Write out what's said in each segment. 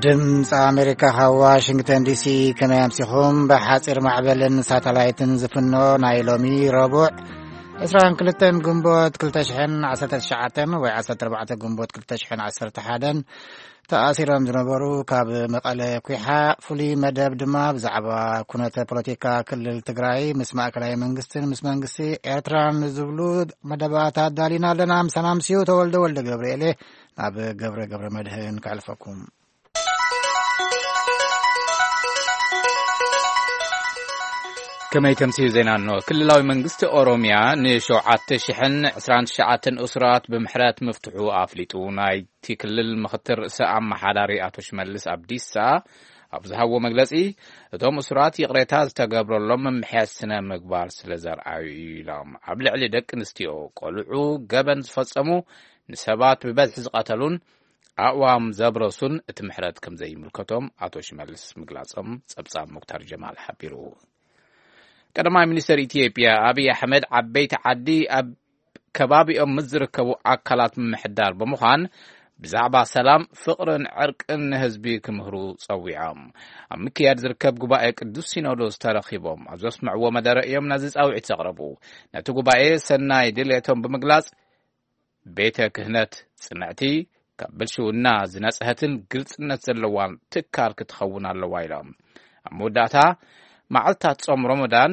ድምፂ ኣሜሪካ ካብ ዋሽንግተን ዲሲ። ከመይ ኣምሲኹም? ብሓፂር ማዕበልን ሳተላይትን ዝፍኖ ናይ ሎሚ ረቡዕ ዕስራን ክልተን ግንቦት ክልተ ሽሕን ዓሰርተ ትሽዓተን ወይ ዓሰርተ ኣርባዕተ ግንቦት ክልተ ሽሕን ዓሰርተ ሓደን ተኣሲሮም ዝነበሩ ካብ መቐለ ኩሓ ፍሉይ መደብ ድማ ብዛዕባ ኩነተ ፖለቲካ ክልል ትግራይ ምስ ማእከላይ መንግስትን ምስ መንግስቲ ኤርትራን ዝብሉ መደባት ኣዳሊና ኣለና። ምሳና ኣምስዩ ተወልደ ወልደ ገብርኤል እየ። ናብ ገብረ ገብረ መድህን ከዕልፈኩም። ከመይ ተምስዩ ዜና እንሆ። ክልላዊ መንግስቲ ኦሮምያ ንሸውዓተ ሽሕን ዕስራን ትሽዓተን እሱራት ብምሕረት ምፍትሑ ኣፍሊጡ። ናይቲ ክልል ምኽትል ርእሰ ኣመሓዳሪ ኣቶ ሽመልስ ኣብዲሳ ኣብ ዝሃብዎ መግለጺ፣ እቶም እሱራት ይቕሬታ ዝተገብረሎም ምምሕያሽ ስነ ምግባር ስለ ዘርኣዩ እዩ ኢሎም። ኣብ ልዕሊ ደቂ ኣንስትዮ፣ ቆልዑ፣ ገበን ዝፈጸሙ፣ ንሰባት ብበዝሒ ዝቐተሉን ኣእዋም ዘብረሱን እቲ ምሕረት ከም ዘይምልከቶም ኣቶ ሽመልስ ምግላጾም ጸብጻብ ሙክታር ጀማል ሓቢሩ። ቀዳማይ ሚኒስተር ኢትዮጵያ ኣብይ ኣሕመድ ዓበይቲ ዓዲ ኣብ ከባቢኦም ምስ ዝርከቡ ኣካላት ምምሕዳር ብምዃን ብዛዕባ ሰላም፣ ፍቕርን ዕርቅን ንህዝቢ ክምህሩ ጸዊዖም። ኣብ ምክያድ ዝርከብ ጉባኤ ቅዱስ ሲኖዶስ ተረኺቦም ኣብ ዘስምዕዎ መደረ እዮም ነዚ ጻውዒት ዘቕረቡ። ነቲ ጉባኤ ሰናይ ድሌቶም ብምግላጽ ቤተ ክህነት ጽንዕቲ፣ ካብ ብልሽውና ዝነጽሀትን ግልጽነት ዘለዋን ትካል ክትኸውን ኣለዋ ኢሎም። ኣብ መወዳእታ መዓልታት ጾም ሮመዳን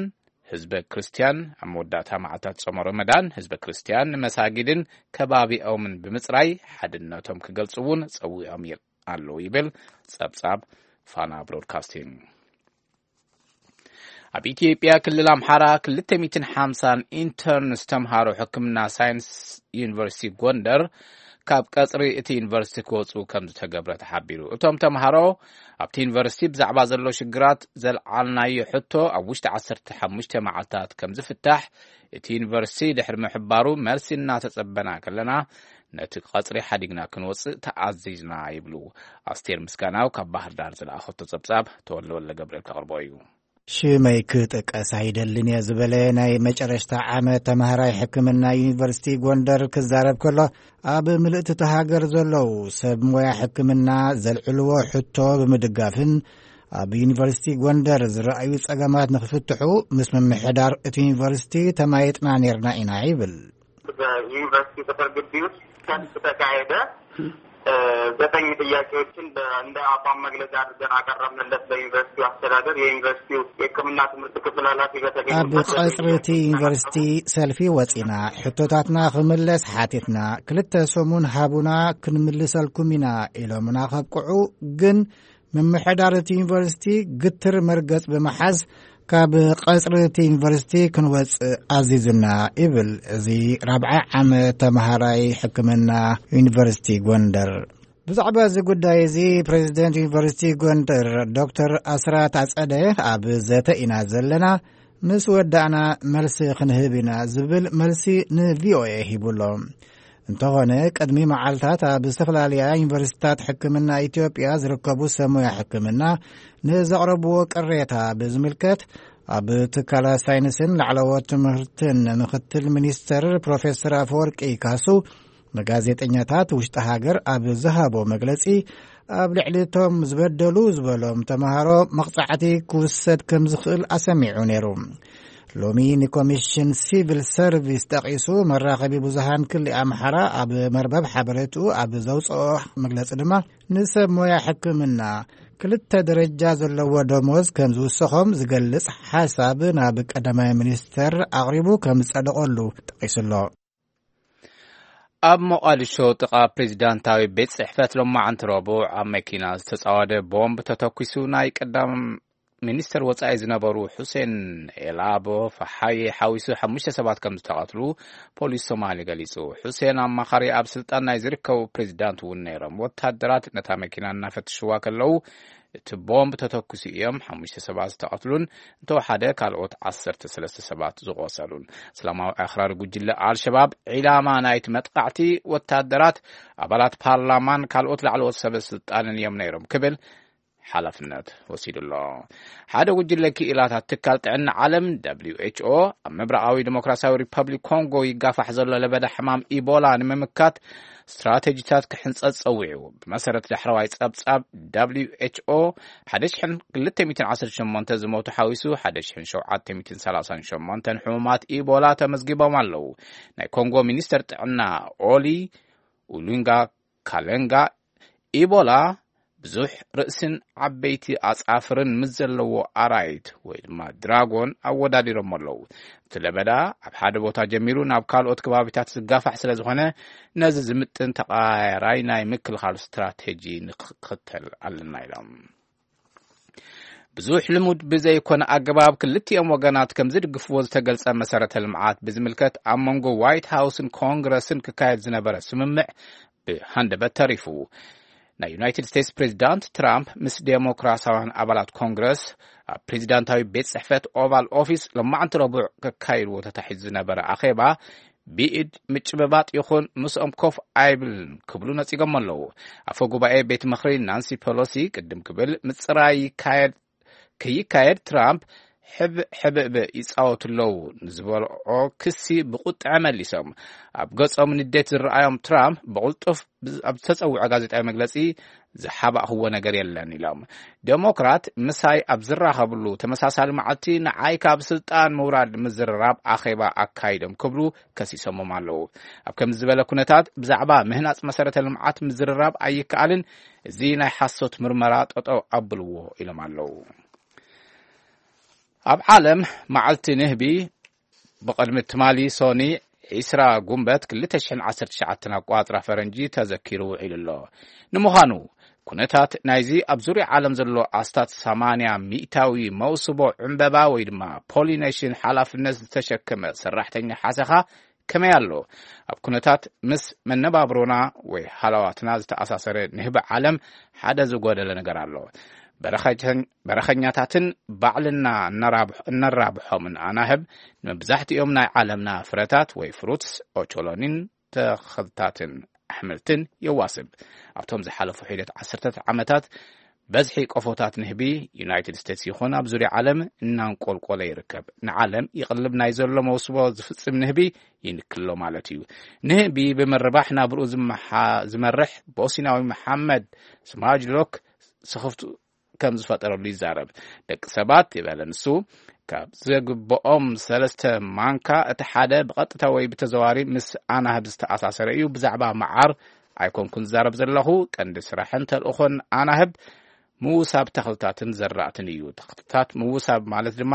ህዝበ ክርስትያን፣ ኣብ መወዳእታ መዓልታት ጾም ሮመዳን ህዝበ ክርስትያን ንመሳጊድን ከባቢኦምን ብምጽራይ ሓድነቶም ክገልጹ እውን ጸዊዖም ይር-፣ ኣለዉ ይብል ጸብጻብ ፋና ብሮድካስቲንግ። ኣብ ኢትዮጵያ ክልል ኣምሓራ ክልተ ሚእትን ሓምሳን ኢንተርንስ ተምሃሮ ሕክምና ሳይንስ ዩኒቨርሲቲ ጎንደር ካብ ቀጽሪ እቲ ዩኒቨርሲቲ ክወጹ ከም ዝተገብረ ተሓቢሩ። እቶም ተምሃሮ ኣብቲ ዩኒቨርሲቲ ብዛዕባ ዘሎ ሽግራት ዘልዓልናዮ ሕቶ ኣብ ውሽጢ ዓሰርተ ሓሙሽተ መዓልታት ከም ዝፍታሕ እቲ ዩኒቨርሲቲ ድሕሪ ምሕባሩ መልሲ እናተጸበና ከለና ነቲ ቀጽሪ ሓዲግና ክንወጽእ ተኣዚዝና ይብሉ። ኣስቴር ምስጋናው ካብ ባህር ዳር ዝለኣኸቶ ጸብጻብ ተወልደ ወልደ ገብርኤል ከቕርቦ እዩ። ሽመይ ክጥቀስ ኣይደልን እየ ዝበለ ናይ መጨረሽታ ዓመት ተምሃራይ ሕክምና ዩኒቨርሲቲ ጎንደር ክዛረብ ከሎ፣ ኣብ ምልእቲ እታ ሃገር ዘለዉ ሰብ ሞያ ሕክምና ዘልዕልዎ ሕቶ ብምድጋፍን ኣብ ዩኒቨርሲቲ ጎንደር ዝረኣዩ ጸገማት ንኽፍትሑ ምስ ምምሕዳር እቲ ዩኒቨርሲቲ ተማይጥና ኔርና ኢና ይብል። በዩኒቨርሲቲ ቅጥር ግቢ ውስጥ ሰልፍ ተካሄደ። እ፣ ዘጠኝ ጥያቄዎችን በ-፣ እንደ አቋም መግለጫ አድርገን አቀረብንለት ለዩኒቨርሲቲው አስተዳደር። የዩኒቨርሲቲው የሕክምና ትምህርት ክፍል ኃላፊ ኣብ በተገኙበት ቀጽሪ እቲ ዩኒቨርሲቲ ሰልፊ ወጺና ሕቶታትና ክምለስ ሓቲትና። ክልተ ሰሙን ሃቡና ክንምልሰልኩም ኢና ኢሎምና ከብቅዑ ግን ምምሕዳር እቲ ዩኒቨርሲቲ ግትር መርገጽ ብምሓዝ ካብ ቀጽሪ እቲ ዩኒቨርሲቲ ክንወጽእ ኣዚዙና ይብል እዚ ራብዓይ ዓመት ተምሃራይ ሕክምና ዩኒቨርሲቲ ጎንደር። ብዛዕባ እዚ ጉዳይ እዚ ፕሬዚደንት ዩኒቨርሲቲ ጎንደር ዶክተር ኣስራት ኣጸደ ኣብ ዘተ ኢና ዘለና፣ ምስ ወዳእና መልሲ ክንህብ ኢና ዝብል መልሲ ንቪኦኤ ሂቡ ኣሎ። እንተኾነ ቅድሚ መዓልታት ኣብ ዝተፈላለያ ዩኒቨርሲቲታት ሕክምና ኢትዮጵያ ዝርከቡ ሰብ ሞያ ሕክምና ንዘቕረብዎ ቅሬታ ብዝምልከት ኣብ ትካላት ሳይንስን ላዕለዎት ትምህርትን ምክትል ሚኒስትር ፕሮፌሰር ኣፈወርቂ ካሱ ንጋዜጠኛታት ውሽጢ ሃገር ኣብ ዝሃቦ መግለጺ፣ ኣብ ልዕሊ እቶም ዝበደሉ ዝበሎም ተምሃሮ መቕጻዕቲ ክውሰድ ከም ዝኽእል ኣሰሚዑ ነይሩ። ሎሚ ንኮሚሽን ሲቪል ሰርቪስ ጠቒሱ መራኸቢ ብዙሃን ክሊ ኣምሓራ ኣብ መርበብ ሓበሬትኡ ኣብ ዘውፅኦ መግለጺ ድማ ንሰብ ሞያ ሕክምና ክልተ ደረጃ ዘለዎ ደሞዝ ከም ዝውሰኾም ዝገልጽ ሓሳብ ናብ ቀዳማይ ሚኒስተር ኣቕሪቡ ከም ዝጸደቐሉ ጠቒሱ ኣሎ። ኣብ ሞቓዲሾ ጥቓ ፕሬዚዳንታዊ ቤት ጽሕፈት ሎማዕንቲ ረቡዕ ኣብ መኪና ዝተጻወደ ቦምብ ተተኲሱ ናይ ቀዳም ሚኒስተር ወጻኢ ዝነበሩ ሑሴን ኤላቦ ፈሓዬ ሓዊሱ ሓሙሽተ ሰባት ከም ዝተቐትሉ ፖሊስ ሶማሊ ገሊጹ። ሑሴን ኣማኻሪ ኣብ ስልጣን ናይ ዝርከቡ ፕሬዚዳንት እውን ነይሮም። ወታደራት ነታ መኪና እናፈትሽዋ ከለዉ እቲ ቦምብ ተተኩሱ እዮም ሓሙሽተ ሰባት ዝተቐትሉን እንተወሓደ ካልኦት ዓሰርተ ሰለስተ ሰባት ዝቖሰሉን። እስላማዊ ኣኽራሪ ጉጅለ ኣልሸባብ ዒላማ ናይቲ መጥቃዕቲ ወታደራት፣ ኣባላት ፓርላማን ካልኦት ላዕለዎት ሰበ ስልጣንን እዮም ነይሮም ክብል ሓላፍነት ወሲዱ ኣሎ። ሓደ ጉጅለ ክኢላታት ትካል ጥዕና ዓለም ደብሊው ኤች ኦ ኣብ ምብራቓዊ ዲሞክራሲያዊ ሪፐብሊክ ኮንጎ ይጋፋሕ ዘሎ ለበዳ ሕማም ኢቦላ ንምምካት ስትራቴጂታት ክሕንጸጽ ጸዊዑ። ብመሰረት ዳሕረዋይ ጸብጻብ ደብሊው ኤች ኦ፣ ሓደ ሽሕን ክልተ ሚእትን ዓሰርተ ሸሞንተ ዝሞቱ ሓዊሱ፣ ሓደ ሽሕን ሸውዓተ ሚእትን ሰላሳን ሸሞንተን ሕሙማት ኢቦላ ተመዝጊቦም ኣለዉ። ናይ ኮንጎ ሚኒስተር ጥዕና ኦሊ ኡሉንጋ ካለንጋ፣ ኢቦላ ብዙሕ ርእስን ዓበይቲ ኣጻፍርን ምስ ዘለዎ ኣራይት ወይ ድማ ድራጎን ኣወዳዲሮም ኣለዉ። እቲ ለበዳ ኣብ ሓደ ቦታ ጀሚሩ ናብ ካልኦት ከባቢታት ዝጋፋሕ ስለ ዝኾነ፣ ነዚ ዝምጥን ተቐያያራይ ናይ ምክልኻል ስትራቴጂ ንክኽተል ኣለና ኢሎም። ብዙሕ ልሙድ ብዘይኮነ ኣገባብ ክልቲኦም ወገናት ከም ዝድግፍዎ ዝተገልጸ መሰረተ ልምዓት ብዝምልከት ኣብ መንጎ ዋይት ሃውስን ኮንግረስን ክካየድ ዝነበረ ስምምዕ ብሃንደበት ተሪፉ። ናይ ዩናይትድ ስቴትስ ፕሬዚዳንት ትራምፕ ምስ ዴሞክራሲያውያን ኣባላት ኮንግረስ ኣብ ፕሬዚዳንታዊ ቤት ጽሕፈት ኦቫል ኦፊስ ሎማዕንቲ ረቡዕ ከካይድዎ ተታሒዙ ዝነበረ ኣኼባ ብኢድ ምጭብባጥ ይኹን ምስኦም ኮፍ ኣይብልን ክብሉ ነጺጎም ኣለዉ። ኣፈ ጉባኤ ቤት ምኽሪ ናንሲ ፔሎሲ ቅድም ክብል ምጽራይ ይካየድ ከይካየድ ትራምፕ ሕብእ ሕብእብእ ይጻወቱ ኣለዉ ንዝበልኦ ክሲ ብቁጥዐ መሊሶም። ኣብ ገጾም ንዴት ዝረኣዮም ትራምፕ ብቕልጡፍ ኣብ ዝተጸውዐ ጋዜጣዊ መግለጺ ዝሓባእኽዎ ነገር የለን ኢሎም። ዴሞክራት ምሳይ ኣብ ዝራኸብሉ ተመሳሳሊ መዓልቲ ንዓይ ካብ ስልጣን ምውራድ ምዝርራብ ኣኼባ ኣካይዶም ክብሉ ከሲሶሞም ኣለዉ። ኣብ ከምዚ ዝበለ ኩነታት ብዛዕባ ምህናጽ መሰረተ ልምዓት ምዝርራብ ኣይከኣልን፣ እዚ ናይ ሓሶት ምርመራ ጠጠው ኣብልዎ ኢሎም ኣለዉ። ኣብ ዓለም መዓልቲ ንህቢ ብቕድሚ ትማሊ ሶኒ ዒስራ ጉንበት ክልተ ሽሕን ዓሰርተ ትሽዓተን ኣቋጽራ ፈረንጂ ተዘኪሩ ውዒሉ ኣሎ። ንምዃኑ ኩነታት ናይዚ ኣብ ዙርያ ዓለም ዘሎ ኣስታት ሰማንያ ሚእታዊ መውስቦ ዕምበባ ወይ ድማ ፖሊኔሽን ሓላፍነት ዝተሸከመ ሰራሕተኛ ሓሰኻ ከመይ ኣሎ? ኣብ ኩነታት ምስ መነባብሮና ወይ ሃለዋትና ዝተኣሳሰረ ንህቢ ዓለም ሓደ ዝጎደለ ነገር ኣሎ። በረኸተኝ-፣ በረኸኛታትን ባዕልና እነራብሕ-፣ እነራብሖምን ኣናህብ ንመብዛሕትኦም ናይ ዓለምና ፍረታት ወይ ፍሩትስ፣ ኦቾሎኒን ተኽልታትን ኣሕምልትን የዋስብ። ኣብቶም ዝሓለፉ ሒደት ዓሰርተታት ዓመታት በዝሒ ቆፎታት ንህቢ ዩናይትድ ስቴትስ ይኹን ኣብ ዙርያ ዓለም እናንቆልቆለ ይርከብ። ንዓለም ይቕልብ ናይ ዘሎ መውስቦ ዝፍጽም ንህቢ ይንክሎ ማለት እዩ። ንህቢ ብምርባሕ ናብርኡ ዝመሓ-፣ ዝመርሕ ቦሲናዊ መሓመድ ስማጅሎክ ስኽፍቱ ከም ዝፈጠረሉ ይዛረብ። ደቂ ሰባት፣ ይበለ ንሱ፣ ካብ ዘግብኦም ሰለስተ ማንካ እቲ ሓደ ብቐጥታ ወይ ብተዘዋሪ ምስ ኣናህብ ዝተኣሳሰረ እዩ። ብዛዕባ መዓር ኣይኮንኩን ዝዛረብ ዘለኹ። ቀንዲ ስራሕን ተልእኾን ኣናህብ ምውሳብ ተኽልታትን ዘራእትን እዩ። ተኽልታት ምውሳብ ማለት ድማ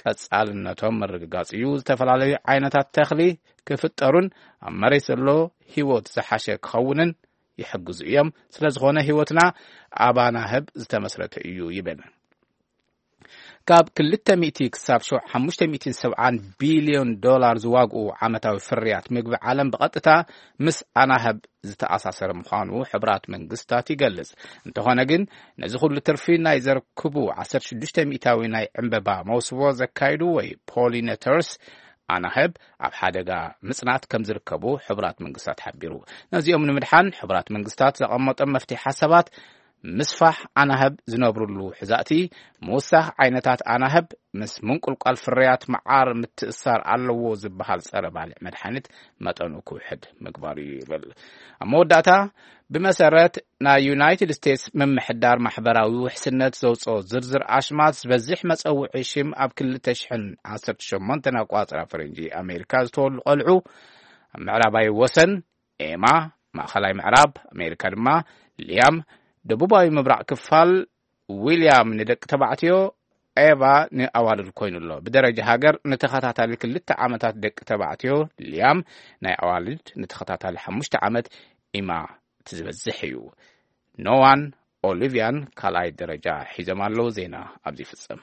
ቀጻልነቶም ምርግጋጽ እዩ። ዝተፈላለዩ ዓይነታት ተኽሊ ክፍጠሩን ኣብ መሬት ዘሎ ህይወት ዝሓሸ ክኸውንን ይሕግዙ እዮም። ስለ ዝኾነ ህይወትና ኣብ ኣናህብ ዝተመስረተ እዩ ይብል። ካብ ክልተ ሚእቲ ክሳብ ሸው-፣ ሓሙሽተ ሚእትን ሰብዓን ቢልዮን ዶላር ዝዋግኡ ዓመታዊ ፍርያት ምግቢ ዓለም ብቐጥታ ምስ ኣናህብ ዝተኣሳሰረ ምዃኑ ሕቡራት መንግስታት ይገልጽ። እንተኾነ ግን ነዚ ኩሉ ትርፊ ናይ ዘርክቡ ዓሰርተ ሽዱሽተ ሚእታዊ ናይ ዕምበባ መውስቦ ዘካይዱ ወይ ፖሊኔተርስ ኣናህብ ኣብ ሓደጋ ምጽናት ከም ዝርከቡ ሕቡራት መንግስታት ሓቢሩ። ነዚኦም ንምድሓን ሕቡራት መንግስታት ዘቐመጦም መፍትሒ ሓሳባት ምስፋሕ ኣናህብ ዝነብሩሉ ሕዛእቲ፣ ምውሳኽ ዓይነታት ኣናህብ ምስ ምንቁልቋል ፍርያት መዓር ምትእሳር ኣለዎ ዝበሃል ጸረ ባልዕ መድሓኒት መጠኑ ክውሕድ ምግባር እዩ ይብል። ኣብ መወዳእታ፣ ብመሰረት ናይ ዩናይትድ ስቴትስ ምምሕዳር ማሕበራዊ ውሕስነት ዘውፅኦ ዝርዝር ኣሽማት ዝበዝሕ መጸውዒ ሽም ኣብ ክልተ ሽሕን ዓሰርተ ሸሞንተን ኣቋጽራ ፈረንጂ ኣሜሪካ ዝተወልዱ ቆልዑ ኣብ ምዕራባዊ ወሰን ኤማ፣ ማእኸላይ ምዕራብ ኣሜሪካ ድማ ሊያም፣ ደቡባዊ ምብራቕ ክፋል ዊልያም ንደቂ ተባዕትዮ፣ ኤቫ ንኣዋልድ ኮይኑ ኣሎ። ብደረጃ ሃገር ንተኸታታሊ ክልተ ዓመታት ደቂ ተባዕትዮ ሊያም፣ ናይ ኣዋልድ ንተኸታታሊ ሓሙሽተ ዓመት ኢማ እቲ ዝበዝሕ እዩ። ኖዋን ኦሊቪያን ካልኣይ ደረጃ ሒዞም ኣለዉ። ዜና ኣብዚ ይፍጸም።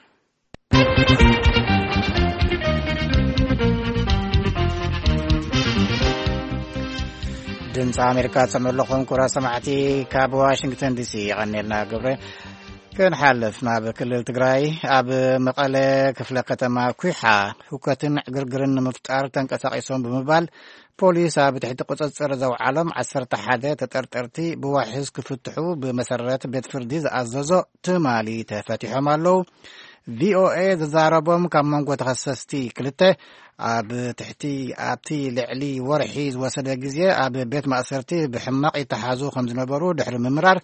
ድምፂ ኣሜሪካ ትሰምዑ ኣለኹም ክቡራት ሰማዕቲ፣ ካብ ዋሽንግተን ዲሲ። የቐንየልና ግብረ። ክንሓልፍ ናብ ክልል ትግራይ፣ ኣብ መቐለ ክፍለ ከተማ ኩሓ ሁከትን ዕግርግርን ንምፍጣር ተንቀሳቒሶም ብምባል ፖሊስ ኣብ ትሕቲ ቁፅፅር ዘውዓሎም ዓሰርተ ሓደ ተጠርጠርቲ ብዋሕስ ክፍትሑ ብመሰረት ቤት ፍርዲ ዝኣዘዞ ትማሊ ተፈቲሖም ኣለዉ። ቪኦኤ ዘዛረቦም ካብ መንጎ ተኸሰስቲ ክልተ ኣብ ትሕቲ ኣብቲ ልዕሊ ወርሒ ዝወሰደ ግዜ ኣብ ቤት ማእሰርቲ ብሕማቕ ይተሓዙ ከም ዝነበሩ ድሕሪ ምምራር፣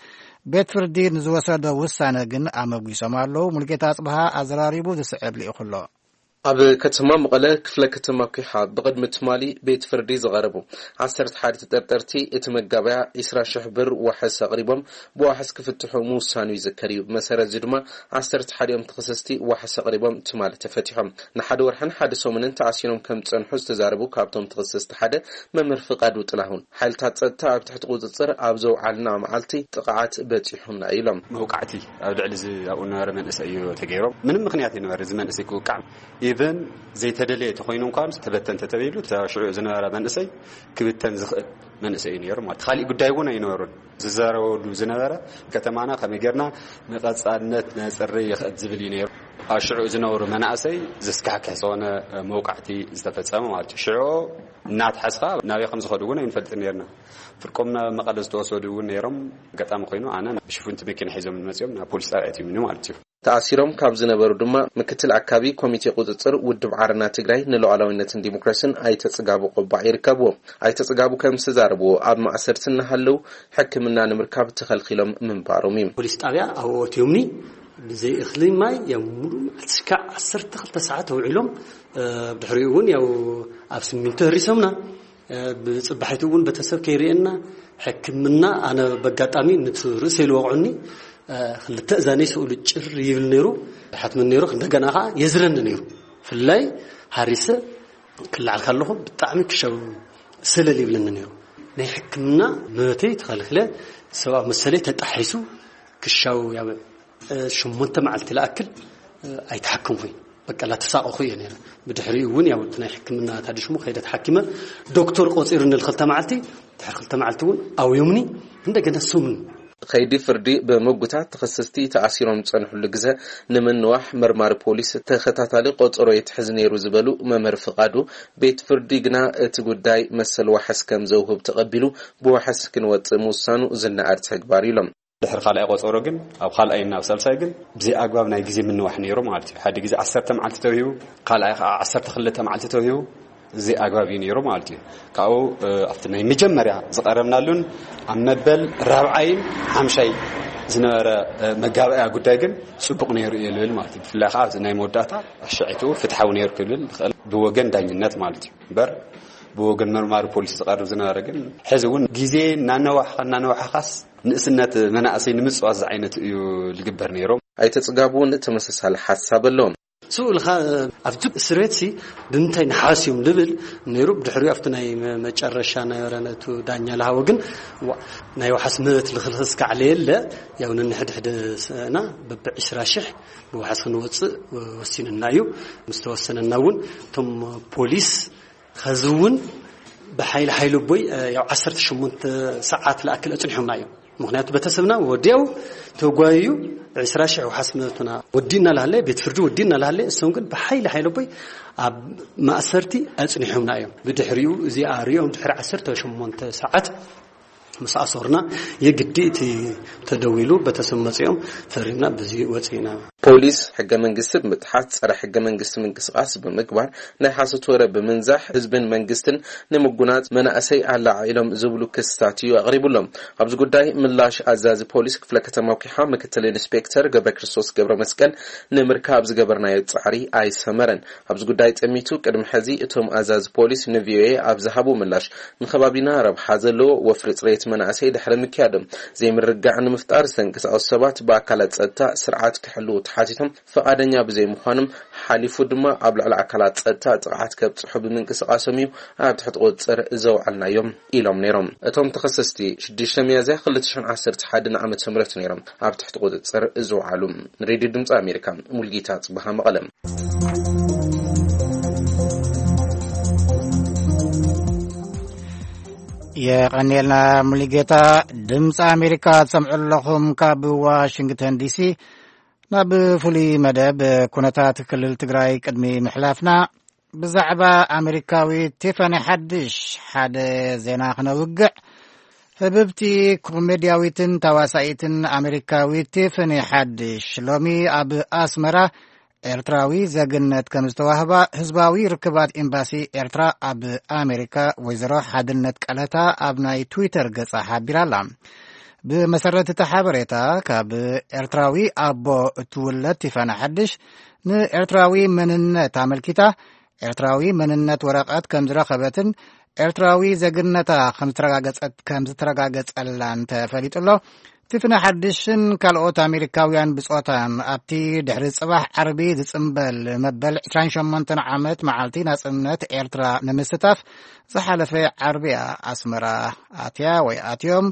ቤት ፍርዲ ንዝወሰዶ ውሳነ ግን ኣመጒሶም ኣለዉ። ሙልጌታ ኣጽብሃ ኣዘራሪቡ ዝስዕብ ልኢኹ ኣሎ። ኣብ ከተማ መቐለ ክፍለ ከተማ ኲሓ ብቕድሚ ትማሊ ቤት ፍርዲ ዝቐረቡ ዓሰርተ ሓደ ተጠርጠርቲ እቲ መጋበያ ዕስራ ሽሕ ብር ዋሕስ ኣቕሪቦም ብዋሕስ ክፍትሑ ምውሳኑ ይዝከር እዩ። ብመሰረት እዚ ድማ ዓሰርተ ሓዲኦም ተኸሰስቲ ዋሕስ ኣቕሪቦም ትማሊ ተፈቲሖም። ንሓደ ወርሕን ሓደ ሰሙንን ተኣሲሮም ከም ዝጸንሑ ዝተዛረቡ ካብቶም ተኸሰስቲ ሓደ መምህር ፍቓዱ ጥላሁን፣ ሓይልታት ጸጥታ ኣብ ትሕቲ ቁጽጽር ኣብ ዘውዓልና መዓልቲ ጥቕዓት በጺሑና ኢሎም። መውቃዕቲ ኣብ ልዕሊ እዚ ኣብኡ ዝነበረ መንእሰይ እዩ ተገይሮም። ምንም ምኽንያት ይነበረ እዚ መንእሰይ ክውቃዕ። ኢቨን ዘይተደለየ ተኾይኑ እንኳን ተበተን ተተበይሉ፣ እታ ሽዑ ዝነበረ መንእሰይ ክብተን ዝኽእል መንእሰይ እዩ ነይሩ ማለት። ካሊእ ጉዳይ እውን ኣይነበሩን። ዝዛረበሉ ዝነበረ ከተማና ከመይ ጌርና ንቐጻልነት ነጽሪ ይኽእል ዝብል እዩ ነይሩ። ኣብ ሽዑ ዝነበሩ መናእሰይ ዘስካሕክሕ ዝኾነ መውቃዕቲ ዝተፈጸመ ማለት እዩ። ሽዑ እናተሓዝኻ ናበይ ከም ዝኸዱ እውን ኣይንፈልጥን ነይርና። ፍርቆም ናብ መቐለ ዝተወሰዱ እውን ነይሮም። ኣጋጣሚ ኮይኑ ኣነ ብሽፉንቲ መኪና ሒዞም መጺኦም ናብ ፖሊስ ጣብያ እትምኒ ማለት እዩ። ተኣሲሮም ካብ ዝነበሩ ድማ ምክትል ኣካቢ ኮሚቴ ቁጽጽር ውድብ ዓረና ትግራይ ንሉዓላዊነትን ዲሞክራሲን ኣይተ ጽጋቡ ቆባዕ ይርከብዎ። ኣይተ ጽጋቡ ከም ዝተዛረብዎ ኣብ ማእሰርቲ እናሃለዉ ሕክምና ንምርካብ ተኸልኪሎም ምንባሮም እዩ። ፖሊስ ጣብያ ኣብኡ ኣትዮምኒ። ብዘይ እኽሊ ማይ ያው ሙሉ መዓልቲ ክሳዕ ዓሰርተ ክልተ ሰዓት ኣውዒሎም። እ፣ ብድሕሪኡ እውን ያው ኣብ ስሚንቶ ህሪሶምና። እ፣ ብጽባሒቱ እውን ቤተሰብ ከይርእየና ሕክምና ኣነ በጋጣሚ ንሱ ርእሰይ ልወቕዑኒ። እ፣ ክልተ እዛነይ ስእሉ ጭር ይብል ነይሩ። ሓትመን ነይሩ። እንደገና ኸዓ የዝረኒ ነይሩ። ብፍላይ ሃሪሰ ክለዓል ከለኹ ብጣዕሚ ክሻው ሰለል ይብለኒ ነይሩ። ናይ ሕክምና መብተይ ተኸልኪለ፣ ሰብኣዊ መሰለይ ተጣሒሱ ክሻው ያበ እ፣ ሸሞንተ መዓልቲ ልኣክል፣ እ፣ ኣይተሓከምኩይ። በቃ ላተሳቐኹ እየ ነይረ። ብድሕሪኡ እውን ያው እቲ ናይ ሕክምና ታዲሽሙ ከይደ ተሓኪመ፣ ዶክተር ቆጺሩኒ ልክልተ መዓልቲ፣ ድሕሪ ክልተ መዓልቲ እውን ኣውዮምኒ። እንደገና ሰሙን። ኸይዲ ፍርዲ ብምጉታት ተኸሰስቲ ተኣሲሮም ዝጸንሕሉ ግዘ ንምንዋሕ መርማሪ ፖሊስ ተኸታታሊ ቆጸሮ የትሕዝ ነይሩ ዝበሉ መምህር ፍቓዱ፣ ቤት ፍርዲ ግና እቲ ጉዳይ መሰል ዋሕስ ከም ዘውህብ ተቐቢሉ ብዋሕስ ክንወጽእ ምውሳኑ ዝነኣድ ተግባር ኢሎም። ድሕሪ ካልኣይ ቆጸሮ ግን ኣብ ካልኣይ ናብ ሳልሳይ ግን ብዘይ ኣግባብ ናይ ግዜ ምንዋሕ ነይሩ ማለት እዩ። ሓደ ግዜ ዓሰርተ መዓልቲ ተውሂቡ፣ ካልኣይ ከዓ ዓሰርተ ክልተ መዓልቲ ተውሂቡ፣ እዚ ኣግባብ እዩ ነይሩ ማለት እዩ። ካብኡ፣ እ፣ ኣብቲ ናይ መጀመርያ ዝቐረብናሉን ኣብ መበል ራብዓይን ሓምሻይ ዝነበረ፣ እ፣ መጋበእያ ጉዳይ ግን ጽቡቕ ነይሩ እዩ ልብል ማለት እዩ። ብፍላይ ከዓ ኣብዚ ናይ መወዳእታ ኣሻዒትኡ ፍትሓዊ ነይሩ ክብል ዝኽእል ብወገን ዳኝነት ማለት እዩ። እምበር ብወገን መርማሪ ፖሊስ ዝቐርብ ዝነበረ ግን ሕዚ እውን ግዜ እናነዋሕኻ እናነዋሕኻስ ንእስነት መናእሰይ ንምጽዋት ዝዓይነቱ እዩ ዝግበር ነይሮም። ኣይተ ጽጋቡ እውን ተመሳሳሊ ሓሳብ ኣለዎም። ስኡ ኢልኻ ኣብቲ እስር ቤትሲ ብምንታይ ንሓስ እዮም ዝብል ነይሩ። ብድሕሪኡ ኣብቲ ናይ መ-፣ መጨረሻ ናይ ወረነቱ ዳኛ ልሃቦ ግን ዋ-፣ ናይ ዋሕስ መብት ልኽልኽስ ካዕለ የለ። ያው ነንሕድሕድ ሰና በብዕስራ ሽሕ ብዋሕስ ክንወፅእ ወሲንና እዩ። ምስ ተወሰነና እውን እቶም ፖሊስ ኸዚ እውን ብሓይሊ ሓይሊ ኣቦይ፣ እ፣ ያው ዓሰርተ ሸሞንተ ሰዓት ልኣክል ኣጽኒሖምና እዮም። ምኽንያቱ ቤተሰብና ወዲያው ተጓዩ ዕስራ ሽሕ ዋሕስ መብትና ወዲእና ላሃለ፣ ቤት ፍርዲ ወዲእና ላሃለ፣ እሶም ግን ብሓይሊ ሓይሊ ኣቦይ ኣብ ማእሰርቲ ኣጽኒሖምና እዮም። ብድሕሪኡ እዚኣ ሪኦም ድሕሪ ዓሰርተ ሸሞንተ ሰዓት ምስ ኣሰርና የግዲ እቲ ተደዊሉ ቤተሰብ መጺኦም ፈሪምና በዚ ወጺእና። ፖሊስ ሕገ መንግስቲ ብምጥሓስ ጸረ ሕገ መንግስቲ ምንቅስቃስ ብምግባር ናይ ሓሶት ወረ ብምንዛሕ ህዝብን መንግስትን ንምጉናጽ መናእሰይ ኣለዓዒሎም ዝብሉ ክስታት እዩ ኣቕሪቡሎም። ኣብዚ ጉዳይ ምላሽ ኣዛዚ ፖሊስ ክፍለ ከተማ ኲሓ ምክትል ኢንስፔክተር ገብረ ክርስቶስ ገብረ መስቀል ንምርካብ ዝገበርናዮ ጻዕሪ ኣይሰመረን። ኣብዚ ጉዳይ ጠሚቱ ቅድሚ ሕዚ እቶም ኣዛዚ ፖሊስ ንቪኦኤ ኣብ ዝሃቡ ምላሽ ንከባቢና ረብሓ ዘለዎ ወፍሪ ጽሬት መናእሰይ ድሕሪ ምክያዶም ዘይምርግጋዕ ንምፍጣር ዝተንቀሳቐሱ ሰባት ብኣካላት ጸጥታ ስርዓት ክሕልዉ ተሓቲቶም ፍቓደኛ ብዘይምዃኖም ሓሊፉ ድማ ኣብ ልዕሊ ኣካላት ጸጥታ ጥቕዓት ከብጽሑ ብምንቅስቃሶም እዩ ኣብ ትሕቲ ቁጽጽር ዘውዓልናዮም ኢሎም ነይሮም። እቶም ተኸሰስቲ ሽዱሽተ ሚያዝያ ክልተ ሽሕን ዓሰርተ ሓደን ዓመተ ምህረት ነይሮም ኣብ ትሕቲ ቁጽጽር ዝውዓሉ። ንሬድዮ ድምፂ ኣሜሪካ ሙልጌታ ጽብሃ መቐለም። የቐንየልና ሙሉጌታ። ድምፂ ኣሜሪካ ትሰምዑ ኣለኹም ካብ ዋሽንግተን ዲሲ። ናብ ፍሉይ መደብ ኩነታት ክልል ትግራይ ቅድሚ ምሕላፍና፣ ብዛዕባ ኣሜሪካዊት ቲፋኒ ሓድሽ ሓደ ዜና ክነውግዕ። ህብብቲ ኮሜድያዊትን ተዋሳኢትን ኣሜሪካዊት ቲፋኒ ሓድሽ ሎሚ ኣብ ኣስመራ ኤርትራዊ ዜግነት ከም ዝተዋህባ ህዝባዊ ርክባት ኤምባሲ ኤርትራ ኣብ ኣሜሪካ ወይዘሮ ሓድነት ቀለታ ኣብ ናይ ትዊተር ገጻ ሓቢራ ኣላ። ብመሰረት እቲ ሓበሬታ፣ ካብ ኤርትራዊ ኣቦ እትውለድ ቲፋና ሓድሽ ንኤርትራዊ መንነት ኣመልኪታ፣ ኤርትራዊ መንነት ወረቐት ከም ዝረኸበትን ኤርትራዊ ዜግነታ ከም ዝተረጋገጸት፣ ከም ዝተረጋገጸላን ተፈሊጡ ኣሎ። ቲፍና ሓድሽን ካልኦት ኣሜሪካውያን ብጾታን ኣብቲ ድሕሪ ጽባሕ ዓርቢ ዝጽምበል መበል ዕስራን ሸሞንተን ዓመት መዓልቲ ናጽነት ኤርትራ ንምስታፍ ዝሓለፈ ዓርቢያ ኣስመራ ኣትያ ወይ ኣትዮም።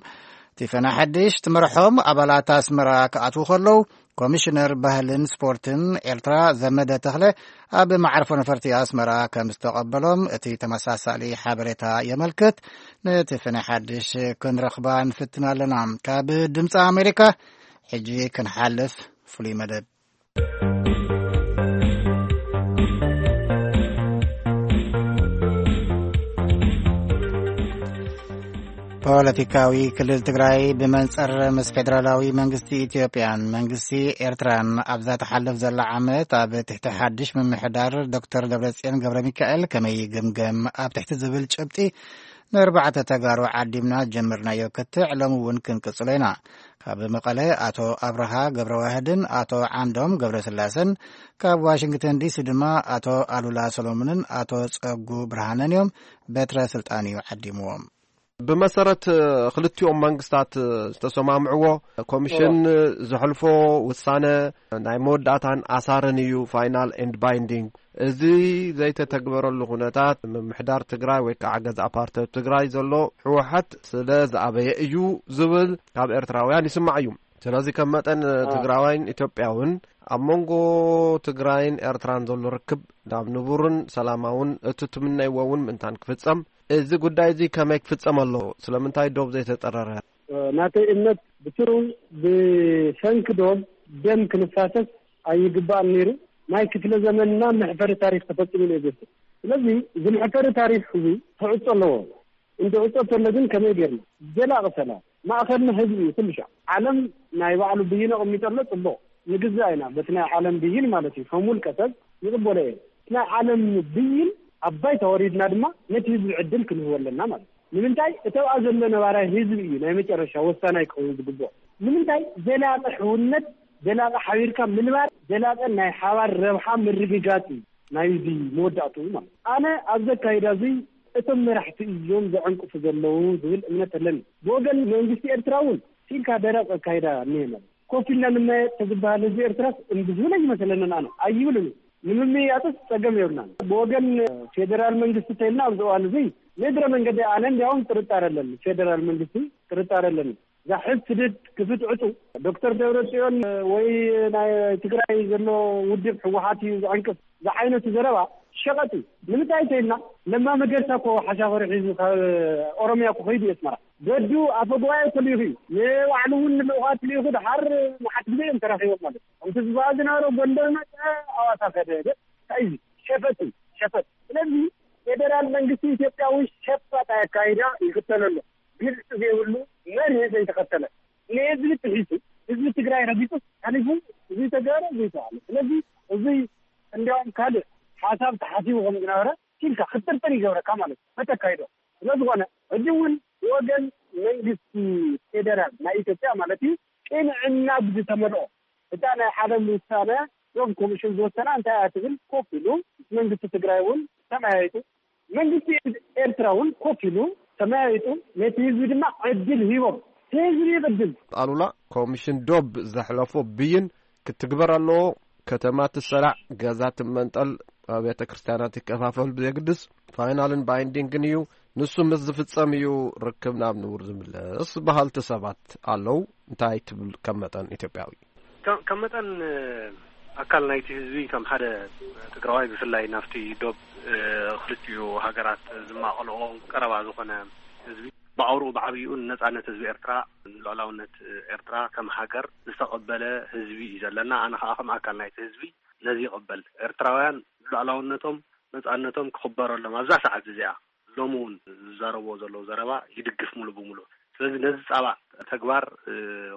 ቲፈና ሓድሽ ትመርሖም ኣባላት ኣስመራ ክኣትዉ ከለዉ፣ ኮሚሽነር ባህልን ስፖርትን ኤርትራ ዘመደ ተኽለ ኣብ መዓርፎ ነፈርቲ ኣስመራ ከም ዝተቐበሎም እቲ ተመሳሳሊ ሓበሬታ የመልክት። ንቲፈና ሓድሽ ክንረኽባ ንፍትን ኣለና። ካብ ድምፂ ኣሜሪካ ሕጂ ክንሓልፍ ፍሉይ መደብ። ፖለቲካዊ ክልል ትግራይ ብመንጽር ምስ ፌደራላዊ መንግስቲ ኢትዮጵያን መንግስቲ ኤርትራን ኣብዛ ትሓልፍ ዘላ ዓመት ኣብ ትሕቲ ሓድሽ ምምሕዳር ዶክተር ደብረጽዮን ገብረ ሚካኤል ከመይ ይግምገም ኣብ ትሕቲ ዝብል ጭብጢ ንኣርባዕተ ተጋሩ ዓዲምና ጀምርናዮ ክትዕ ሎም እውን ክንቅጽሎ ኢና። ካብ መቐለ ኣቶ ኣብርሃ ገብረዋህድን ኣቶ ዓንዶም ገብረስላሰን፣ ካብ ዋሽንግተን ዲሲ ድማ ኣቶ ኣሉላ ሰሎሞንን ኣቶ ጸጉ ብርሃነን እዮም። በትረ ስልጣን እዩ ዓዲምዎም። ብመሰረት ክልቲኦም መንግስታት ዝተሰማምዕዎ፣ ኮሚሽን ዘሕልፎ ውሳነ ናይ መወዳእታን ኣሳርን እዩ፣ ፋይናል ኤንድ ባይንዲንግ። እዚ ዘይተተግበረሉ ኩነታት ምምሕዳር ትግራይ ወይ ከዓ ገዛእ ፓርቲ ትግራይ ዘሎ ህወሓት ስለ ዝኣበየ እዩ ዝብል ካብ ኤርትራውያን ይስማዕ እዩ። ስለዚ ከም መጠን ትግራዋይን ኢትዮጵያውን ኣብ መንጎ ትግራይን ኤርትራን ዘሎ ርክብ ናብ ንቡርን ሰላማውን እቲ ትምነይዎ እውን ምእንታን ክፍጸም፣ እዚ ጉዳይ እዚ ከመይ ክፍጸም ኣለዎ? ስለምንታይ ዶብ ዘይተጠረረ? ናተይ እምነት ብትሩ ብሰንኪ ዶብ ደም ክንፋሰስ ኣይግባእን ነይሩ። ናይ ክፍለ ዘመንና መሕፈሪ ታሪክ ተፈጺሙ ነው ዝወስድ። ስለዚ እዚ መሕፈሪ ታሪክ እዚ ክዕጾ ኣለዎ። እንተ ዕጾ ተሎ ግን ከመይ ጌርና ዘላቂ ሰላም ማእከልና ህዝቢ እዩ። ኩሉ ሻዕ ዓለም ናይ ባዕሉ ብይን ኣቐሚጠሎ ጽቡቕ ንግዛእ ኢና። በቲ ናይ ዓለም ብይን ማለት እዩ ከም ውልቀ ሰብ ይቕበሎ እየ። ናይ ዓለም ብይን ኣብ ባይታ ወሪድና ድማ ነቲ ህዝቢ ዕድል ክንህቦ ኣለና ማለት እዩ። ንምንታይ እተብኣ ዘሎ ነባራይ ህዝቢ እዩ ናይ መጨረሻ ወሳናይ ክኸውን ዝግብኦ። ንምንታይ ዘላቂ ሕውነት፣ ዘላቂ ሓቢርካ ምንባር፣ ዘላቂ ናይ ሓባር ረብሓ ምርግጋጽ እዩ ናይዚ መወዳእትኡ ማለት። ኣነ ኣብዚ ኣካይዳ እዚ እቶም መራሕቲ እዮም ዘዕንቅፉ ዘለዉ ዝብል እምነት ኣለኒ። ብወገን መንግስቲ ኤርትራ እውን ሲልካ ደረቕ ኣካይዳ እኒሄ ማለት ኮፍ ኢልና ንመያየጥ ተዝበሃል ህዝቢ ኤርትራስ እምብዝብል ኣይመሰለንን። ኣነ ኣይብልን እዩ። ንምምያጥስ ጸገም የብልናን። ብወገን ፌደራል መንግስቲ ተይልና ኣብዚ እዋን እዚ ንእግረ መንገዲ ኣነ እንዲያውም ጥርጣረ ኣለኒ። ፌደራል መንግስቲ ጥርጣረ ኣለኒ። እዛ ሕድ ስድድ ክፍት ዕጹ ዶክተር ደብረጽዮን ወይ ናይ ትግራይ ዘሎ ውድብ ህወሓት እዩ ዝዕንቅፍ ዝዓይነቱ ዘረባ ሸቐጥ እዩ። ንምንታይ ተይልና ለማ መገርሳ እኮ ሓሻኽሪ ሒዙ ካብ ኦሮምያ እኮ ከይዱ እዩ ኣስመራ። ገዱ ኣፈ ጉባኤ ተልኢኹ እዩ። ንባዕሉ እውን ንልኡኻት ልኢኹ ድሓር መዓት ግዜ እዮም ተራኺቦም ማለት እዩ። ከምቲ ዝበሃል ዝነበረ ጎንደር መጸ ኣዋሳ ከደ። እንታይ እዩ ሸፈጥ እዩ፣ ሸፈጥ። ስለዚ ፌደራል መንግስቲ ኢትዮጵያ እውን ሸፋጥ ኣካይዳ ይኽተል ኣሎ። ግልፂ ዘይብሉ መርህ ዘይተኸተለ ንህዝቢ ጥሒሱ ህዝቢ ትግራይ ረጊፁ ሓሊፉ እዚ ተገበረ እዚ ተባለ። ስለዚ እዚ እንዲያውም ካልእ ሓሳብ ተሓሲቡ ከም ዝነበረ ኢልካ ክትጥርጥር ይገብረካ ማለት እዩ በተካይዶ። ስለዝኾነ ሕጂ እውን ብወገን መንግስቲ ፌደራል ናይ ኢትዮጵያ ማለት እዩ ቅንዕና ብዝተመልኦ እታ ናይ ዓለም ውሳነ ዶብ ኮሚሽን ዝወሰና እንታይ እያ ትብል ኮፍ ኢሉ ምስ መንግስቲ ትግራይ እውን ተመያይጡ መንግስቲ ኤርትራ እውን ኮፍ ኢሉ ተመያይጡ ነቲ ህዝቢ ድማ ዕድል ሂቦም ህዝቢ ይቕድም። ኣሉላ፣ ኮሚሽን ዶብ ዘሕለፎ ብይን ክትግበር ኣለዎ። ከተማ ትሰራዕ፣ ገዛ ትመንጠል፣ ቤተ ክርስቲያናት ይከፋፈል ብዘግድስ ፋይናልን ባይንዲንግን እዩ። ንሱ ምስ ዝፍጸም እዩ ርክብ ናብ ንቡር ዝምለስ በሃልቲ ሰባት ኣለዉ። እንታይ ትብል ከም መጠን ኢትዮጵያዊ? ከም ከም መጠን ኣካል ናይቲ ህዝቢ፣ ከም ሓደ ትግራዋይ ብፍላይ ናብቲ ዶብ ክልቲኡ ሃገራት ዝማቐልኦ ቀረባ ዝኾነ ህዝቢ፣ ብኣውርኡ ብዓብይኡ ንነፃነት ህዝቢ ኤርትራ፣ ንልዑላውነት ኤርትራ ከም ሃገር ዝተቐበለ ህዝቢ እዩ ዘለና። ኣነ ከዓ ከም ኣካል ናይቲ ህዝቢ ነዚ ይቕበል። ኤርትራውያን ሉዓላውነቶም፣ ነጻነቶም ክኽበረሎም ኣብዛ ሰዓት እዚኣ፣ ሎሚ እውን ዝዛረብዎ ዘለዉ ዘረባ ይድግፍ ሙሉ ብሙሉ። ስለዚ ነዚ ጻባእ ተግባር፣ እ፣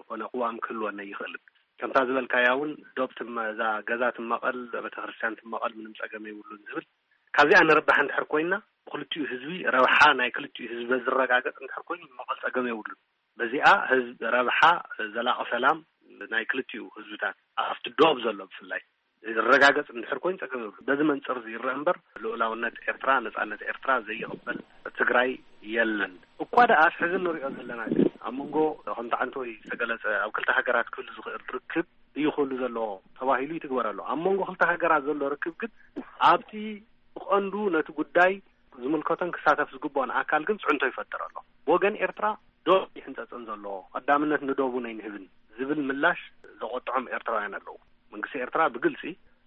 ኮነ ቅዋም ክህልወና ይኽእል። ከምታ ዝበልካያ እውን ዶብ ትመ-፣ እዛ ገዛ ትመቐል፣ ቤተክርስትያን ትመቐል፣ ምንም ጸገም የብሉን ዝብል፣ ካብዚኣ ንርባሕ እንድሕር ኮይና፣ ብክልቲኡ ህዝቢ ረብሓ ናይ ክልቲኡ ህዝቢ ዝረጋገጽ እንድሕር ኮይኑ፣ መቐል ጸገም የብሉን። በዚኣ ህዝቢ ረብሓ፣ ዘላቒ ሰላም ናይ ክልቲኡ ህዝብታት ኣብቲ ዶብ ዘሎ ብፍላይ ዝረጋገጽ እንድሕር ኮይኑ ጸገም የብሉን። በዚ መንጽር እዚ ይረአ እምበር፣ ልኡላውነት ኤርትራ፣ ነጻነት ኤርትራ ዘይቕበል ትግራይ የለን። እኳ ደኣስ ሕዚ እንሪኦ ዘለና ግን ኣብ መንጎ፣ ከምቲ ዓንቶይ ዝተገለጸ፣ ኣብ ክልተ ሃገራት ክህሉ ዝኽእል ርክብ እዩ ክህሉ ዘለዎ ተባሂሉ ይትግበር ኣሎ። ኣብ መንጎ ክልተ ሃገራት ዘሎ ርክብ ግን ኣብቲ ብቐንዱ ነቲ ጉዳይ ዝምልከቶን ክሳተፍ ዝግብኦን ኣካል ግን ጽዕንቶ ይፈጥር ኣሎ። ብወገን ኤርትራ ዶብ ይሕንጸጽን ዘሎ፣ ቀዳምነት ንዶቡ ነይንህብን ዝብል ምላሽ ዘቖጥዖም ኤርትራውያን ኣለዉ። መንግስቲ ኤርትራ ብግልጺ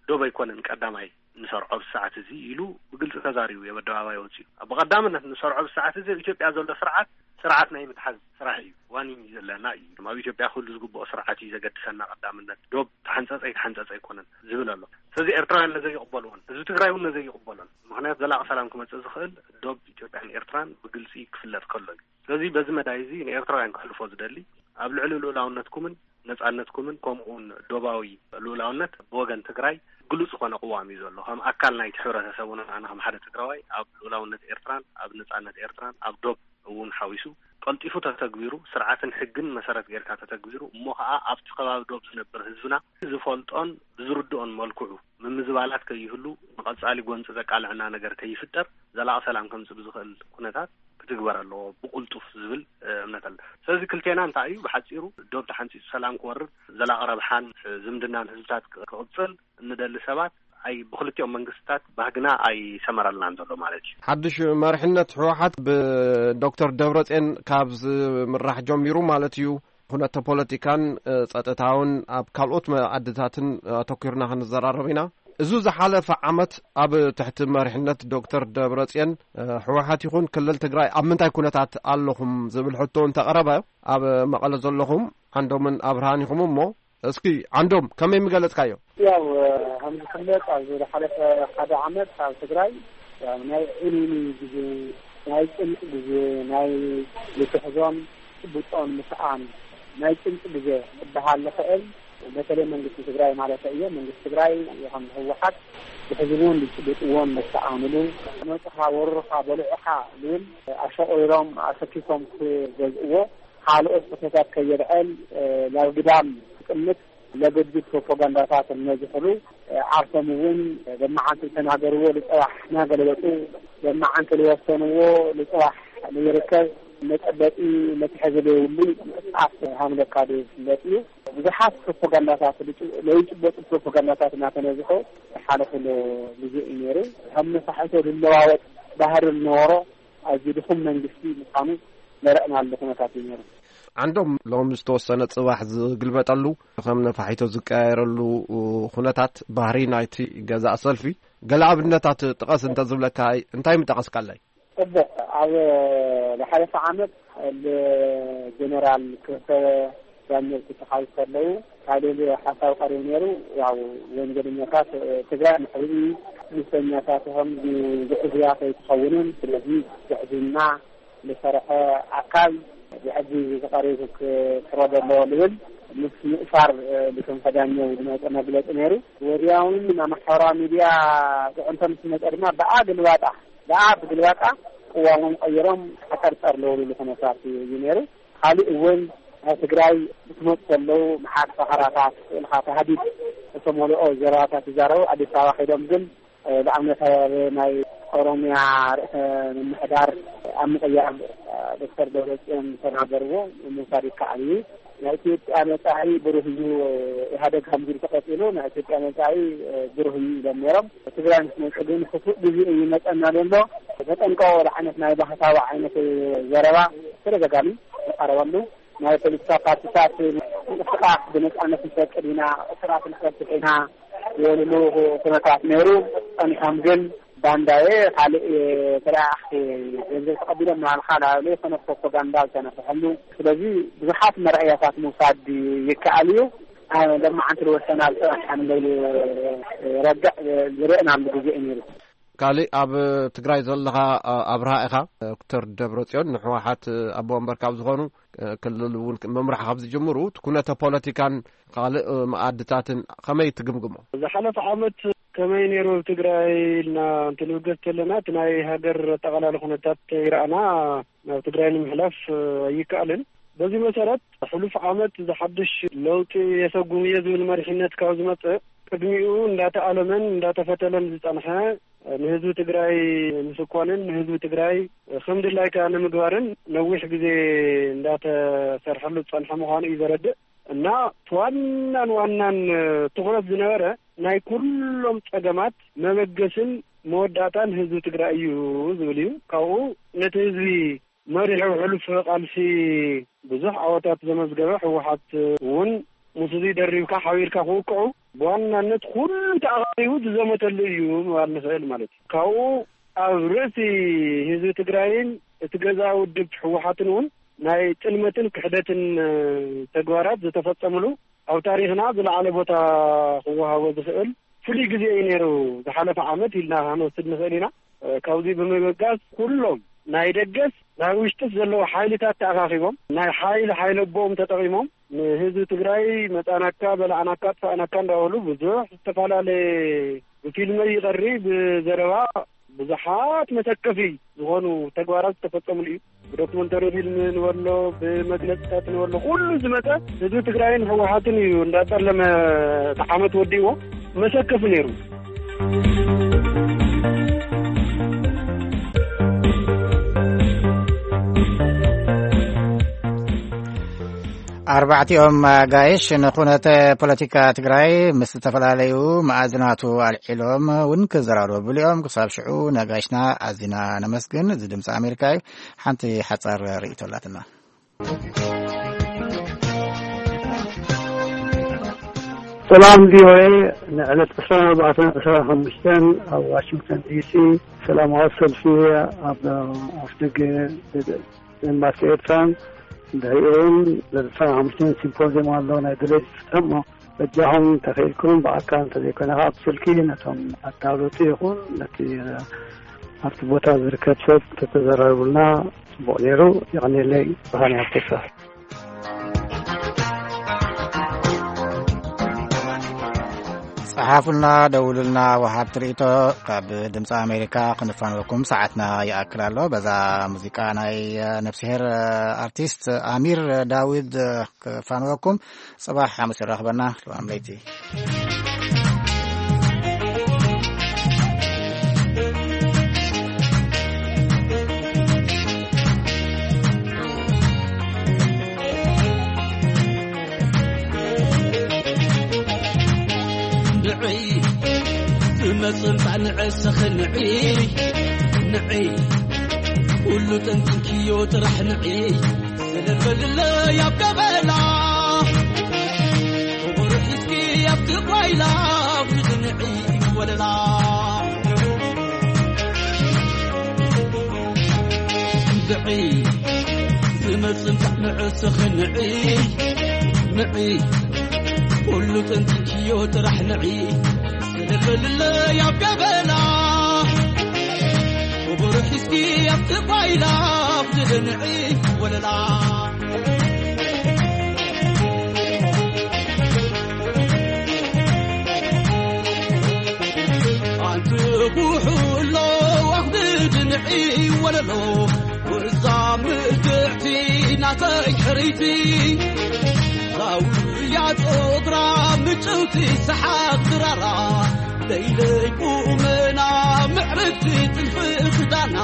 ዶብ ኣይኮነን ቀዳማይ ንሰርዖ ኣብዚ ሰዓት እዚ ኢሉ ብግልጺ ተዛሪቡ፣ ኣብ ኣደባባይ ወጺኡ። ብቐዳምነት ንሰርዖ ኣብዚ ሰዓት እዚ ኣብ ኢትዮጵያ ዘሎ ስርዓት፣ ስርዓት ናይ ምትሓዝ ስራሕ እዩ፣ ዋኒን እዩ ዘለና እዩ። ኣብ ኢትዮጵያ ክህሉ ዝግብኦ ስርዓት እዩ ዘገድሰና ቀዳምነት፣ ዶብ ተሓንጸጸ ኣይተሓንጸጸ ኣይኮነን ዝብል ኣሎ። ስለዚ ኤርትራውያን ነዘ ይቕበልዎን፣ ህዝቢ ትግራይ እውን ነዘ ይቕበሎን። ምኽንያት ዘላቒ ሰላም ክመጽእ ዝኽእል ዶብ ኢትዮጵያን ኤርትራን ብግልጺ ክፍለጥ ከሎ እዩ። ስለዚ በዚ መዳይ እዚ ንኤርትራውያን ከሕልፎ ዝደሊ፣ ኣብ ልዕሊ ልኡላውነትኩምን ነጻነትኩምን ከምኡ እውን ዶባዊ ልኡላውነት ብወገን ትግራይ ግሉጽ ዝኾነ ቅዋም እዩ ዘሎ። ከም ኣካል ናይቲ ሕብረተሰብ እውን ኣነ ከም ሓደ ትግራዋይ ኣብ ልኡላውነት ኤርትራን ኣብ ነጻነት ኤርትራን ኣብ ዶብ እውን ሓዊሱ ቀልጢፉ ተተግቢሩ፣ ስርዓትን ሕግን መሰረት ጌርካ ተተግቢሩ፣ እሞ ኸዓ ኣብቲ ከባቢ ዶብ ዝነብር ህዝብና ዝፈልጦን ብዝርድኦን መልክዑ ምምዝባላት ከይህሉ፣ ንቐጻሊ ጎንፂ ዘቃልዕና ነገር ከይፍጠር፣ ዘላቒ ሰላም ከምፅእ ብዝኽእል ኩነታት ክትግበር ኣለዎ ብቕልጡፍ ዝብል፣ እ፣ እምነት ኣሎ። ስለዚ ክልቴና እንታይ እዩ? ብሓፂሩ ዶብ ተሓንፂፁ ሰላም ክወርድ፣ ዘላቒ ረብሓን፣ እ፣ ዝምድናን ህዝብታት ክ-፣ ክቕፅል እንደሊ ሰባት ኣይ-፣ ብክልቲኦም መንግስትታት ባህግና ኣይሰመረልናን ዘሎ ማለት እዩ። ሓድሽ መሪሕነት ህወሓት ብዶክተር ደብረጽዮን ካብ ዝምራሕ ጀሚሩ ማለት እዩ፣ ኩነተ ፖለቲካን፣ እ፣ ጸጥታውን ኣብ ካልኦት መ-፣ ዓድታትን ኣተኲርና ክንዘራረብ ኢና። እዚ ዝሓለፈ ዓመት ኣብ ትሕቲ መሪሕነት ዶክተር ደብረጽዮን፣ እ፣ ህወሓት ይኹን ክልል ትግራይ ኣብ ምንታይ ኩነታት ኣለኹም ዝብል ሕቶ እንተቐረበ፣ ኣብ መቐለ ዘለኹም ዓንዶምን ኣብርሃን ኢኹም እሞ፣ እስኪ ዓንዶም ከመይ ምገለጽካዮ? ያው፣ እ፣ ከም ዝፍለጥ ኣብዚ ዝሓለፈ ሓደ ዓመት ኣብ ትግራይ ያው ናይ ዕንይንይ ግዜ፣ ናይ ጭንቂ ግዜ፣ ናይ ልትሕዞን ጭብጦን ምስኣን ናይ ጭንቂ ግዜ ክበሃል ዝኽእል፣ በተለይ መንግስቲ ትግራይ ማለት እየ። መንግስቲ ትግራይ ከም ህወሓት ብሕዝቡን ብጭብጥዎን መስተኣምሉ መፅኻ ወሩኻ በልዑኻ ዝብል ኣሸቑሪሮም ኣሰኪፎም ክገዝእዎ፣ ካልኦት ጽሑፋት ከየልዕል፣ እ፣ ናብ ግዳም ክጥምት ለገድዱ ፕሮፓጋንዳታት እነዝሕሉ፣ እ፣ ዓርሶም እውን በመዓልቲ ዝተናገርዎ ልጽባሕ እናገለበጡ፣ በመዓልቲ ዝወሰንዎ ልጽባሕ ንይርከብ መጨበጢ መትሐዚ ዘይብሉ ምንቅስቃስ ሃምለካ ዶ ይፍለጥ እዩ። ብዙሓት ፕሮፓጋንዳታት፣ ልጭ-፣ ለይጭበጡ ፕሮፓጋንዳታት እናተነዝሑ ዝሓለፉሉ ግዜ እዩ ነይሩ። ከም ነፋሒቶ ዝለዋወጥ ባህሪ ዝነበሮ ኣዝዩ ድኹም መንግስቲ ምዃኑ ዘርእናሉ ኩነታት እዩ ነይሩ። ዓንዶም ሎም ዝተወሰነ ጽባሕ ዝግልበጠሉ፣ ከም ነፋሒቶ ዝቀያየረሉ ኩነታት ባህሪ ናይቲ ገዛእ ሰልፊ ገለ ኣብነታት ጥቀስ እንተ ዝብለካ እንታይ ምጠቐስካለይ? ጽቡቕ። ኣብ ዝሓለፈ ዓመት ጀነራል ክንፈ ዳንኤል ክተሓዙ ከለዉ፣ ሓደ ሓሳብ ቀሪቡ ነይሩ። ያው ወንጀለኛታት ትግራይ ንሕዝቢ ሙሰኛታት ከም ዝሕዝያ ከይትኸውንን፣ ስለዚ ዝሕዝና ዝሰርሐ ኣካል ብሕጂ ተቐሪቡ ክፍረድ ኣለዎ ዝብል ምስ ምእሳር፣ እ፣ ብክንፈ ዳኘው ዝመፀ መግለፂ ነይሩ። ወዲያውን ናብ ማሕበራዊ ሚድያ ፅዕንቶ ምስ መፀ ድማ ብኣ ግልባጣ፣ ብኣ ብግልባጣ ቅዋሞም ቀይሮም ሓፀርፀር ዝብልሉ ኩነታት እዩ ነይሩ። ካልእ እውን ኣብ ትግራይ ክትመፁ ከለዉ መዓት ፈኸራታት፣ ስእልካ ተሃዲድ ዝተመልኦ ዘረባታት ይዛረቡ። ኣዲስ ኣበባ ከይዶም ግን ንኣብነት ኣብ ናይ ኦሮምያ ርእሰ ምምሕዳር ኣብ ምቕያር ዶክተር ደብረፅዮን ዝተናገርዎ ምውሳድ ይከኣል እዩ። ናይ ኢትዮጵያ መጻኢ ብሩህ እዩ፣ ኢህኣደግ ከምዚ ኢሉ ተቐጺሉ ናይ ኢትዮጵያ መጻኢ ብሩህ እዩ ኢሎም ነይሮም። ትግራይ ምስ መጹ ግን ክፉእ ግዜ እዩ ይመጸና ዘሎ። ተጠንቀቑ ወደ ዓይነት ናይ ባህታዊ ዓይነት ዘረባ ተደጋጋሚ ይቐረበሉ። ናይ ፖለቲካ ፓርቲታት ምንቅስቃስ ብነጻነት ንፈቅድ ኢና፣ እሱራት ንፈትሕ ኢና ዝበልሉ ኩነታት ነይሩ። ጸኒሖም ግን ባንዳየ ካልእ ተለኣኣኽቲ ገንዘብ ተቐቢሎም ምባልካ ናብ ዘይኮነ ፕሮፓጋንዳ ዝተነፍሐሉ። ስለዚ ብዙሓት መርኣያታት ምውሳድ ይከኣል እዩ። ሎማዓንቲ ዝወሰና ዝጸናሕና ረግዕ ዝርእናሉ ግዜ እዩ ነይሩ። ካልእ ኣብ ትግራይ ዘለኻ ኣብርሃ ኢኻ። ዶክተር ደብረጽዮን ንህወሓት ኣቦ ወንበር ካብ ዝኾኑ፣ ክልል እውን ምምራሕ ካብ ዝጅምሩ፣ እቲ ኩነተ ፖለቲካን ካልእ መኣድታትን ከመይ ትግምግሞ? ዝሓለፈ ዓመት ከመይ ነይሩ ኣብ ትግራይ ኢልና እንትንብገስ ዘለና፣ እቲ ናይ ሃገር ኣጠቓላሊ ኩነታት ይረኣና፣ ናብ ትግራይ ንምሕላፍ ኣይከኣልን። በዚ መሰረት፣ ሕሉፍ ዓመት ዝሓድሽ ለውጢ የሰጉም እየ ዝብል መሪሕነት ካብ ዝመጽእ፣ ቅድሚኡ እንዳተኣለመን እንዳተፈተለን ዝጸንሐ፣ ንህዝቢ ትግራይ ምስኳንን ንህዝቢ ትግራይ ከም ድላይካ ንምግባርን ነዊሕ ግዜ እንዳተሰርሐሉ ዝጸንሐ ምዃኑ እዩ ዘረድእ። እና እቲ ዋናን ዋናን ትኹረት ዝነበረ ናይ ኩሎም ጸገማት መበገስን መወዳእታን ህዝቢ ትግራይ እዩ ዝብል እዩ። ካብኡ ነቲ ህዝቢ መሪሑ ሕሉፍ ቃልሲ ብዙሕ ዓወታት ዘመዝገበ፣ ህወሓት እውን ምስዚ ደሪብካ ሓቢርካ ክውቅዑ ብዋናነት ኩሉ ተኣኻቢቡ ዝዘመተሉ እዩ ምባል ንኽእል ማለት እዩ። ካብኡ ኣብ ርእሲ ህዝቢ ትግራይን እቲ ገዛ ውድብ ህወሓትን እውን ናይ ጥልመትን ክሕደትን ተግባራት ዝተፈጸምሉ፣ ኣብ ታሪኽና ዝለዓለ ቦታ ክወሃቦ ዝኽእል ፍሉይ ግዜ እዩ ነይሩ። ዝሓለፈ ዓመት ኢልና ክንወስድ ንኽእል ኢና። ካብዚ ብምብጋስ ኩሎም ናይ ደገስ ናይ ውሽጥስ ዘለዉ ሓይልታት ተኣኻኺቦም፣ ናይ ሓይሊ ሓይለ ኣቦኦም ተጠቒሞም፣ ንህዝቢ ትግራይ መጻናካ፣ በላዕናካ፣ ኣጥፋእናካ እንዳበሉ ብዙሕ ዝተፈላለየ፣ ብፊልመይ ይቐሪ፣ ብዘረባ፣ ብዙሓት መሰከፊ ዝኾኑ ተግባራት ዝተፈጸሙሉ እዩ። ብዶክመንተሪ ፊልም ንበሎ፣ ብመግለጽታት ንበሎ፣ ኩሉ ዝመጸ ህዝቢ ትግራይን ህወሓትን እዩ እንዳጸለመ እቲ ዓመት ወዲእዎ። መሰከፊ ነይሩ። ኣርባዕቲኦም ኣጋይሽ ንኹነተ ፖለቲካ ትግራይ ምስ ዝተፈላለዩ መኣዝናቱ ኣልዒሎም እውን ክዘራረቡሉ እዮም። ክሳብ ሽዑ ነጋይሽና ኣዚና ነመስግን። እዚ ድምፂ ኣሜሪካ እዩ። ሓንቲ ሓፃር ርእይቶ ኣላትና። ሰላም ቪኦኤ፣ ንዕለት ዕስራን ኣርባዕተን ዕስራን ሓሙሽተን ኣብ ዋሽንግተን ዲሲ ሰላማዊ ሰልፊ ኣብ ኣፍደገ ኤምባሲ ኤርትራን ድሕሪኡ እውን ዕስራን ሓሙሽተን ሲምፖዝየም ኣሎ ናይ ደለይቲ ፍትሒ እሞ በጃኹም እንተኽኢልኩም ብኣካል እንተዘይኮነ ከዓ ብስልኪ ነቶም ኣዳለውቲ ይኹን ነቲ ኣብቲ ቦታ ዝርከብ ሰብ እንተተዘራርቡልና ጽቡቕ ነይሩ። የቐንየለይ። ብርሃን ሃብተስፋ። ጸሓፉልና፣ ደውሉልና። ወሃብቲ ርእይቶ ካብ ድምፂ ኣሜሪካ ክንፋንወኩም ሰዓትና ይኣክል ኣሎ። በዛ ሙዚቃ ናይ ነፍስሄር ኣርቲስት ኣሚር ዳዊድ ክፋንወኩም። ጽባሕ ሓሙስ ይራኽበና። ለዋም ለይቲ። ንዒ፣ ዝመጽእ ምጻእ ንዕስኺ ንዒ፣ ንዒ፣ ኩሉ ጠንጢንክዮ ጥራሕ ንዒ። ሰለል በልለይ ኣብ ገበላ፣ ክቡር ሒዝኪ ኣብቲ ጓይላ፣ ብዙ ንዒ ወለላ። ንዒ፣ ዝመጽእ ምጻእ ንዕስኺ ንዒ፣ ንዒ፣ ኩሉ ጠንጢንክዮ ጥራሕ ንዒ። ሰለል በልለይ ኣብ ገበላ፣ ክቡር ሒዝኪ ኣብቲ ጓይላ፣ ብዙ ንዒ ወለላ። ኣንቲ ጉሑሎ ኣኽብድ ንዒ ወለሎ፣ ወዛ ምድዕቲ ናተይ ሕርይቲ። ዛውያ ጾግራ ምጭውቲ ሰሓቕ ድራራ፣ ለይለይ ቁመና ምዕርግቲ ጥልፊ ክዳና።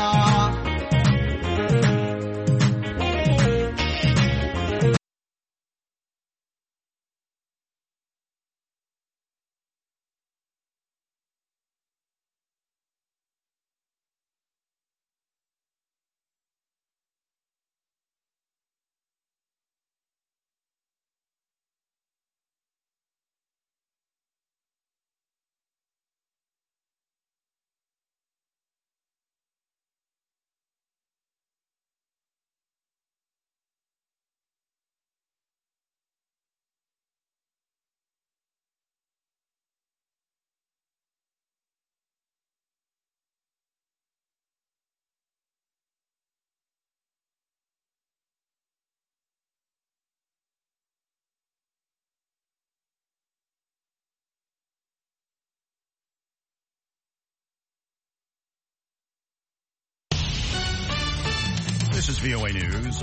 V O A News,